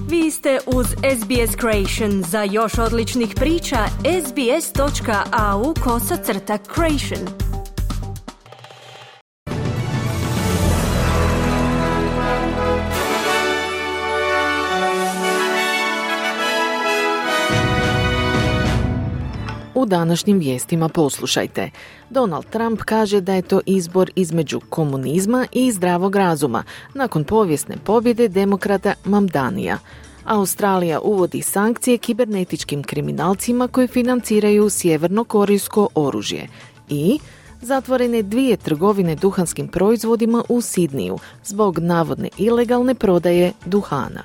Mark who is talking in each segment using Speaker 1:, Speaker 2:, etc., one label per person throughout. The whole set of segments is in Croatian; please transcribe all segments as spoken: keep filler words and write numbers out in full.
Speaker 1: Vi ste uz S B S Creation. Za još odličnih priča, sbs.au kosacrta creation.
Speaker 2: U današnjim vijestima poslušajte. Donald Trump kaže da je to izbor između komunizma i zdravog razuma nakon povijesne pobjede demokrata Mamdanija. Australija uvodi sankcije kibernetičkim kriminalcima koji financiraju sjevernokorejsko oružje. I zatvorene dvije trgovine duhanskim proizvodima u Sidniju zbog navodne ilegalne prodaje duhana.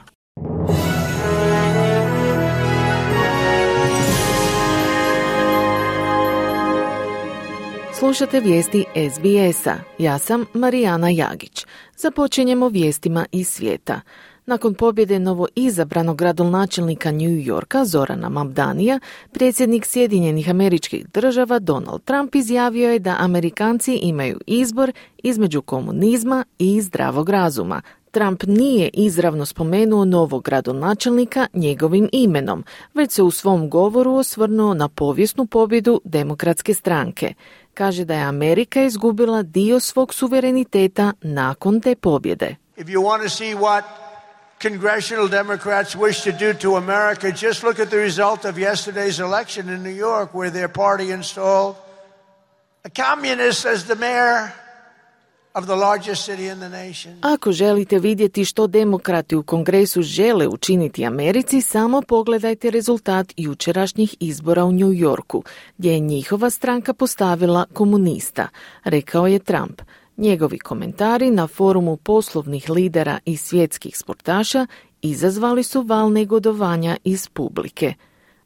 Speaker 2: Slušate vijesti S B S-a. Ja sam Marijana Jagić. Započinjemo vijestima iz svijeta. Nakon pobjede novoizabranog gradonačelnika New Yorka Zorana Mamdanija, predsjednik Sjedinjenih Američkih Država Donald Trump izjavio je da Amerikanci imaju izbor između komunizma i zdravog razuma. Trump nije izravno spomenuo novog gradonačelnika njegovim imenom, već se u svom govoru osvrnuo na povijesnu pobjedu demokratske stranke. Kaže da je Amerika izgubila dio svog suvereniteta nakon te pobjede.
Speaker 3: If you want to see what congressional Democrats wish to do to America, just look at the result of yesterday's election in New York where their party installed a communist as the mayor of the largest city in the nation.
Speaker 2: Ako želite vidjeti što demokrati u Kongresu žele učiniti Americi, samo pogledajte rezultat jučerašnjih izbora u New Yorku, gdje je njihova stranka postavila komunista, rekao je Trump. Njegovi komentari na forumu poslovnih lidera i svjetskih sportaša izazvali su val negodovanja iz publike.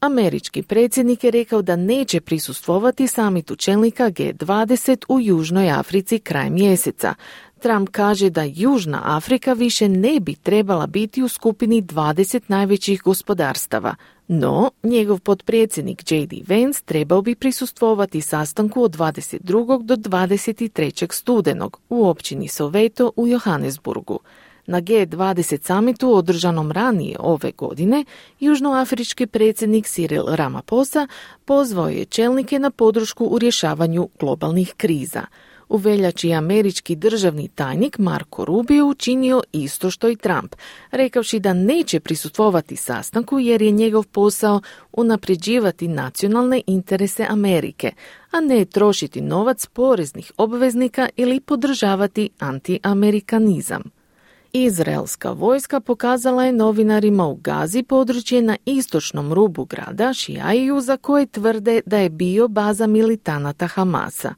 Speaker 2: Američki predsjednik je rekao da neće prisustvovati samitu čelnika G dvadeset u Južnoj Africi kraj mjeseca. Trump kaže da Južna Afrika više ne bi trebala biti u skupini dvadeset najvećih gospodarstava. No, njegov potpredsjednik J D Vance trebao bi prisustvovati sastanku od dvadeset drugog do dvadeset trećeg studenog u općini Soweto u Johannesburgu. Na G dvadeset samitu održanom ranije ove godine, južnoafrički predsjednik Cyril Ramaphosa pozvao je čelnike na podršku u rješavanju globalnih kriza. U veljači je američki državni tajnik Marco Rubio učinio isto što i Trump, rekavši da neće prisustvovati sastanku jer je njegov posao unapređivati nacionalne interese Amerike, a ne trošiti novac poreznih obveznika ili podržavati antiamerikanizam. Izraelska vojska pokazala je novinarima u Gazi područje na istočnom rubu grada Šijaiju za koje tvrde da je bio baza militanata Hamasa.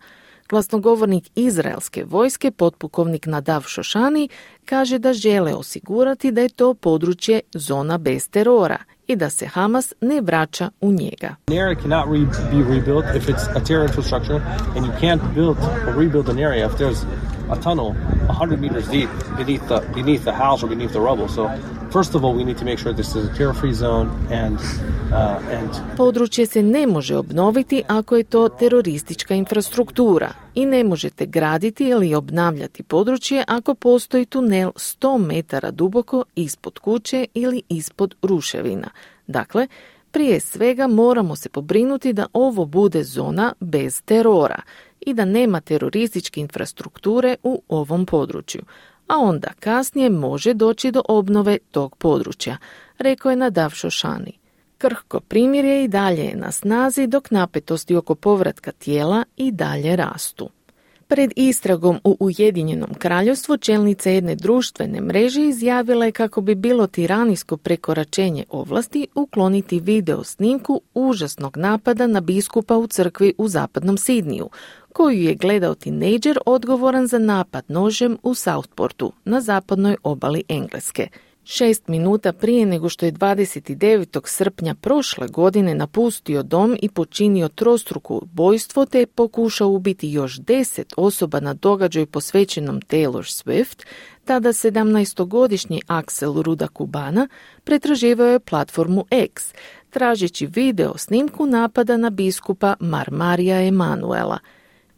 Speaker 2: Glasnogovornik izraelske vojske, potpukovnik Nadav Šošani, kaže da žele osigurati da je to područje zona bez terora i da se Hamas ne vraća u njega.
Speaker 4: An area cannot re- be rebuilt if it's a terror infrastructure, and you can't build or rebuild an area if there's a tunnel one hundred meters deep beneath the beneath the house or beneath the rubble. So first of all, we need to make sure this is a terror-free zone and uh, and
Speaker 2: Područje se ne može obnoviti ako je to teroristička infrastruktura i ne možete graditi ili obnavljati područje ako postoji tunel sto metara duboko ispod kuće ili ispod ruševina. Dakle, prije svega moramo se pobrinuti da ovo bude zona bez terora i da nema terorističke infrastrukture u ovom području, a onda kasnije može doći do obnove tog područja, rekao je Nadav Šošani. Krhko primirje i dalje je na snazi dok napetosti oko povratka tijela i dalje rastu. Pred istragom u Ujedinjenom Kraljevstvu čelnica jedne društvene mreže izjavila je kako bi bilo tiranijsko prekoračenje ovlasti ukloniti video snimku užasnog napada na biskupa u crkvi u zapadnom Sidniju, koju je gledao tinejdžer odgovoran za napad nožem u Southportu na zapadnoj obali Engleske. Šest minuta prije nego što je dvadeset devetog srpnja prošle godine napustio dom i počinio trostruko ubojstvo te pokušao ubiti još deset osoba na događaju posvećenom Taylor Swift, tada sedamnaestogodišnji Axel Ruda Kubana pretraživao je platformu X, tražeći video snimku napada na biskupa Marmarija Emanuela.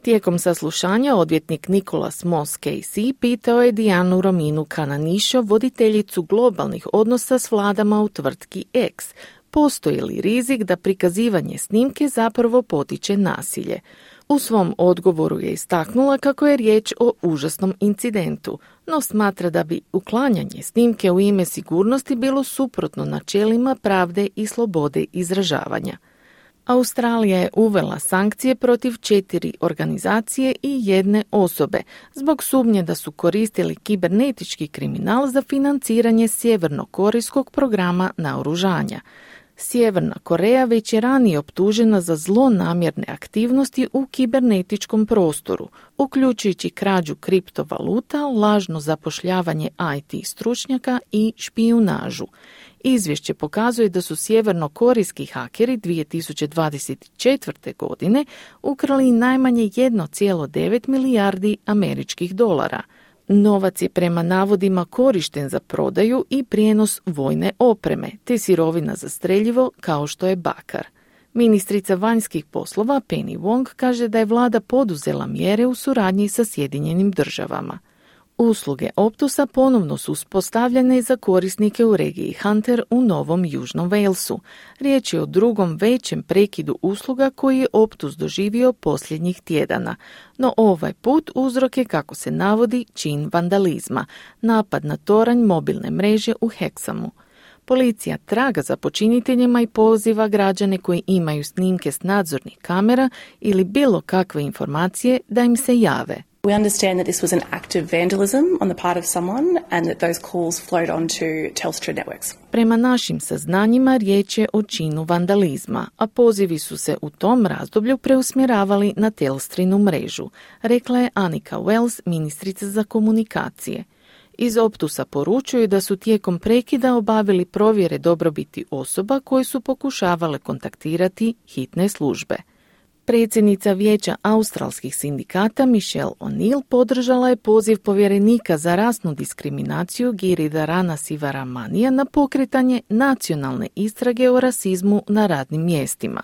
Speaker 2: Tijekom saslušanja odvjetnik Nicholas Moss Casey pitao je Dianu Rominu Cananišo, voditeljicu globalnih odnosa s vladama u tvrtki X, postoji li rizik da prikazivanje snimke zapravo potiče nasilje. U svom odgovoru je istaknula kako je riječ o užasnom incidentu, no smatra da bi uklanjanje snimke u ime sigurnosti bilo suprotno načelima pravde i slobode izražavanja. Australija je uvela sankcije protiv četiri organizacije i jedne osobe zbog sumnje da su koristili kibernetički kriminal za financiranje sjevernokorejskog programa naoružanja. Sjeverna Koreja već je ranije optužena za zlonamjerne aktivnosti u kibernetičkom prostoru, uključujući krađu kriptovaluta, lažno zapošljavanje I T stručnjaka i špijunažu. Izvješće pokazuje da su sjevernokorejski hakeri dvije tisuće dvadeset četvrte. godine ukrali najmanje jedan zarez devet milijardi američkih dolara. Novac je prema navodima korišten za prodaju i prijenos vojne opreme, te sirovina za streljivo kao što je bakar. Ministrica vanjskih poslova Penny Wong kaže da je vlada poduzela mjere u suradnji sa Sjedinjenim državama. Usluge Optusa ponovno su uspostavljene za korisnike u regiji Hunter u Novom Južnom Walesu. Riječ je o drugom većem prekidu usluga koji je Optus doživio posljednjih tjedana. No ovaj put uzrok je, kako se navodi, čin vandalizma, napad na toranj mobilne mreže u Hexamu. Policija traga za počiniteljima i poziva građane koji imaju snimke s nadzornih kamera ili bilo kakve informacije da im se jave.
Speaker 5: We understand that this was an act of vandalism on the part of someone and that those calls flowed onto Telstra networks.
Speaker 2: Prema našim saznanjima riječ je o činu vandalizma, a pozivi su se u tom razdoblju preusmjeravali na Telstrinu mrežu, rekla je Annika Wells, ministrica za komunikacije. Iz Optusa poručuju da su tijekom prekida obavili provjere dobrobiti osoba koje su pokušavale kontaktirati hitne službe. Predsjednica Vijeća australskih sindikata Michelle O'Neill podržala je poziv povjerenika za rasnu diskriminaciju Giridharana Sivaramanija na pokretanje nacionalne istrage o rasizmu na radnim mjestima.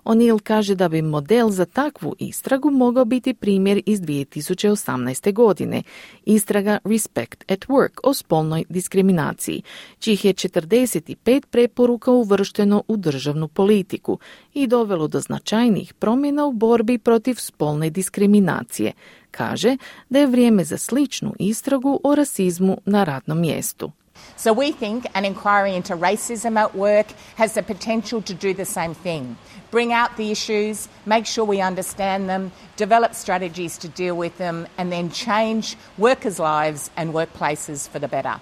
Speaker 2: O'Neill kaže da bi model za takvu istragu mogao biti primjer iz dvije tisuće osamnaeste. godine, istraga Respect at Work o spolnoj diskriminaciji, čih je četrdeset pet preporuka uvršteno u državnu politiku i dovelo do značajnih promjena u borbi protiv spolne diskriminacije. Kaže da je vrijeme za sličnu istragu o rasizmu na radnom mjestu.
Speaker 6: So we think an inquiry into racism at work has the potential to do the same thing. Bring out the issues, make sure we understand them, develop strategies to deal with them, and then change workers' lives and workplaces for the better.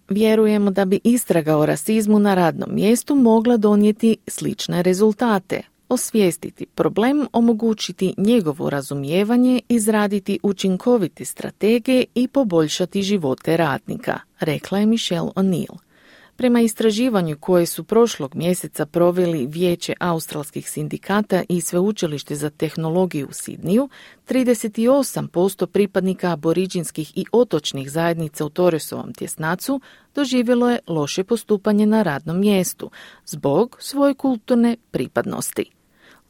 Speaker 2: Vjerujemo da bi istraga o rasizmu na radnom mjestu mogla donijeti slične rezultate. Osvijestiti problem, omogućiti njegovo razumijevanje, izraditi učinkovite strategije i poboljšati živote radnika, rekla je Michelle O'Neill. Prema istraživanju koje su prošlog mjeseca proveli Vijeće australskih sindikata i Sveučilište za tehnologiju u Sidniju, trideset osam posto pripadnika aboriđinskih i otočnih zajednica u Torresovom tjesnacu doživjelo je loše postupanje na radnom mjestu zbog svoje kulturne pripadnosti.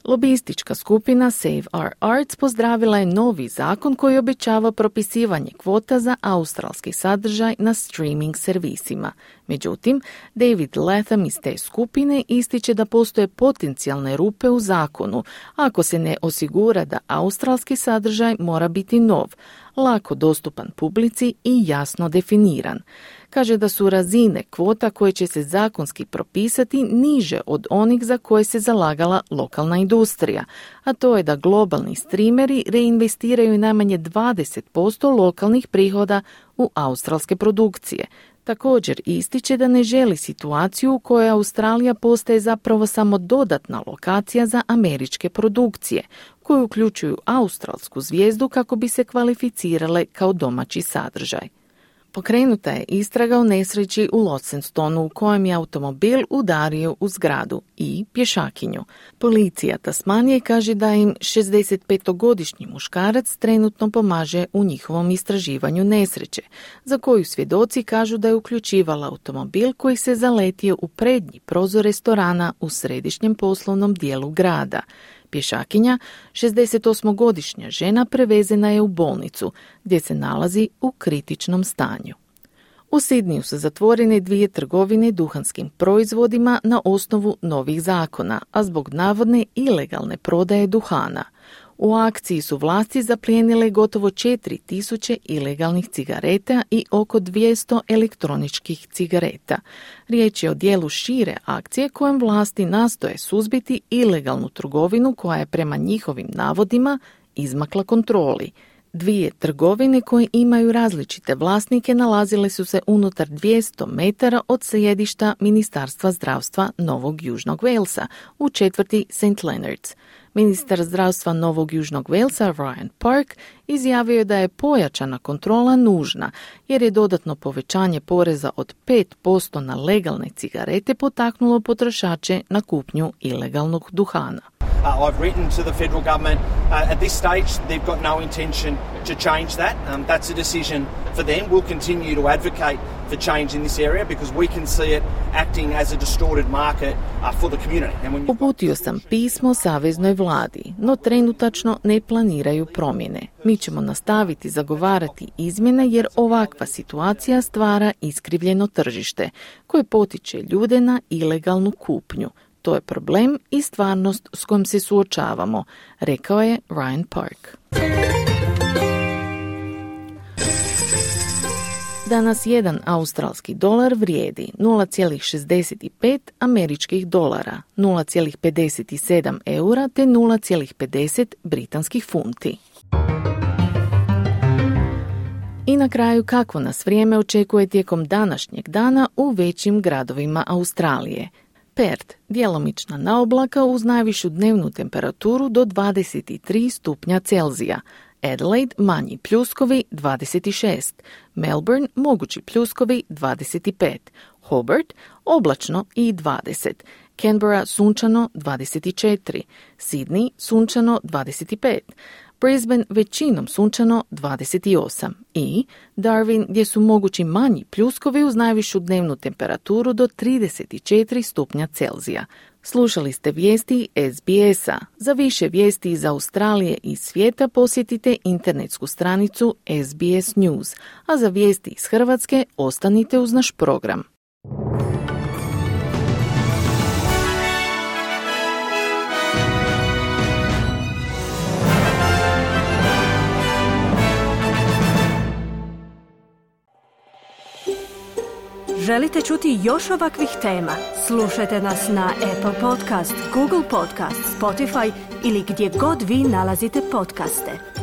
Speaker 2: Lobistička skupina Save Our Arts pozdravila je novi zakon koji obećava propisivanje kvota za australski sadržaj na streaming servisima. Međutim, David Latham iz te skupine ističe da postoje potencijalne rupe u zakonu ako se ne osigura da australski sadržaj mora biti nov, lako dostupan publici i jasno definiran. Kaže da su razine kvota koje će se zakonski propisati niže od onih za koje se zalagala lokalna industrija, a to je da globalni streameri reinvestiraju najmanje dvadeset posto lokalnih prihoda u australske produkcije. Također ističe da ne želi situaciju u kojoj Australija postaje zapravo samo dodatna lokacija za američke produkcije, koje uključuju australsku zvijezdu kako bi se kvalificirale kao domaći sadržaj. Pokrenuta je istraga o nesreći u Launcestonu u kojem je automobil udario u zgradu i pješakinju. Policija Tasmanije kaže da im šezdesetpetogodišnji muškarac trenutno pomaže u njihovom istraživanju nesreće, za koju svjedoci kažu da je uključivala automobil koji se zaletio u prednji prozor restorana u središnjem poslovnom dijelu grada. Pješakinja, šezdesetosmogodišnja žena, prevezena je u bolnicu, gdje se nalazi u kritičnom stanju. U Sidniju su zatvorene dvije trgovine duhanskim proizvodima na osnovu novih zakona, a zbog navodne ilegalne prodaje duhana. U akciji su vlasti zaplijenile gotovo četiri tisuće ilegalnih cigareta i oko dvjesto elektroničkih cigareta. Riječ je o dijelu šire akcije kojem vlasti nastoje suzbiti ilegalnu trgovinu koja je prema njihovim navodima izmakla kontroli. Dvije trgovine koje imaju različite vlasnike nalazile su se unutar dvjesto metara od sjedišta Ministarstva zdravstva Novog Južnog Walesa u četvrti Saint Leonards. Ministar zdravstva Novog Južnog Walesa Ryan Park izjavio je da je pojačana kontrola nužna jer je dodatno povećanje poreza od pet posto na legalne cigarete potaknulo potrošače na kupnju ilegalnog duhana.
Speaker 7: Uh, I've written to the federal government. Uh, at this stage, they've got no intention to change that. Um, that's a decision for them. We'll continue to advocate for change in this area because we can see it acting as a distorted market uh, for the community. And when
Speaker 2: Uputio sam pismo saveznoj vladi, no trenutačno ne planiraju promjene. Mi ćemo nastaviti zagovarati izmjene jer ovakva situacija stvara iskrivljeno tržište koje potiče ljude na ilegalnu kupnju. To je problem i stvarnost s kojom se suočavamo, rekao je Ryan Park. Danas jedan australski dolar vrijedi nula zarez šezdeset pet američkih dolara, nula zarez pedeset sedam eura te nula zarez pedeset britanskih funti. I na kraju kakvo nas vrijeme očekuje tijekom današnjeg dana u većim gradovima Australije. Perth, djelomična naoblaka uz najvišu dnevnu temperaturu do dvadeset tri stupnja Celzija. Adelaide, manji pljuskovi dvadeset šest. Melbourne, mogući pljuskovi dvadeset pet. Hobart, oblačno i dvadeset. Canberra, sunčano dvadeset četiri. Sydney, sunčano dvadeset pet. Brisbane većinom sunčano dvadeset osam i Darwin gdje su mogući manji pljuskovi uz najvišu dnevnu temperaturu do trideset četiri stupnja Celzija. Slušali ste vijesti S B S-a. Za više vijesti iz Australije i svijeta posjetite internetsku stranicu S B S News, a za vijesti iz Hrvatske ostanite uz naš program.
Speaker 1: Želite čuti još ovakvih tema? Slušajte nas na Apple Podcast, Google Podcast, Spotify ili gdje god vi nalazite podcaste.